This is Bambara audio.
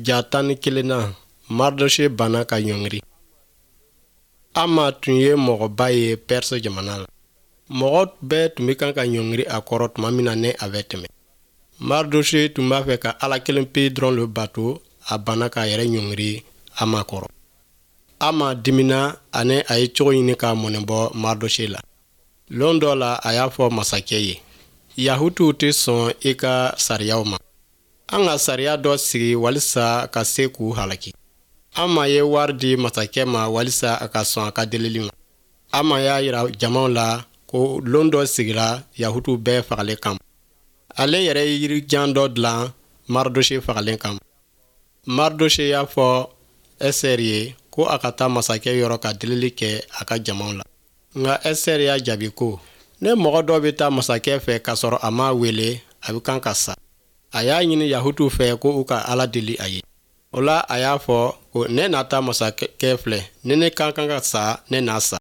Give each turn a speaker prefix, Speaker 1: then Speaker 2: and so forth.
Speaker 1: Ja 11nan, Maridose banna ka ɲɔngiri. Ama tun ye mɔgɔba ye Perse jamana la. Mɔgɔ bɛɛ tun bɛ kan ka ɲɔngiri a kɔrɔ tuma min na ni a bɛ tɛmɛ. Maridose tun b'a fɛ ka Ala kelen pe dɔrɔn le bato, a banna k'a yɛrɛ ɲɔngiri Ama kɔrɔ. Ama dimina ani a ye cogo ɲini ka mɔnɛ bɔ Maridose la. Lon dɔ la, a y'a fɔ masakɛ ye: Yahutuw tɛ sɔn i ka sariyaw ma. An ka sariya dɔ sigi walisa ka se k'u halaki. Ama ye wari di masakɛ ma walisa a ka sɔn a ka delili ma. Ama y'a yira jamaw la ko lon dɔ sigira Yahutuw bɛɛ fagalen kama. Ale yɛrɛ ye yirijan dɔ dilan Maridose fagalen kama. Maridose y'a fɔ Ɛsɛri ye ko a ka taa masakɛ yɔrɔ ka delili kɛ a ka jamaw la. Nka Ɛsɛri y'a jaabi ko, ne mɔgɔ dɔ bɛ taa masakɛ fɛ k'a sɔrɔ a m'a wele, a bɛ kan ka sa. A y'a ɲini Yahutuw fɛ ko u ka Ala deli a ye. O la, a y'a fɔ ko ne na taa masakɛ filɛ, ni ne ka kan ka sa, ne na sa.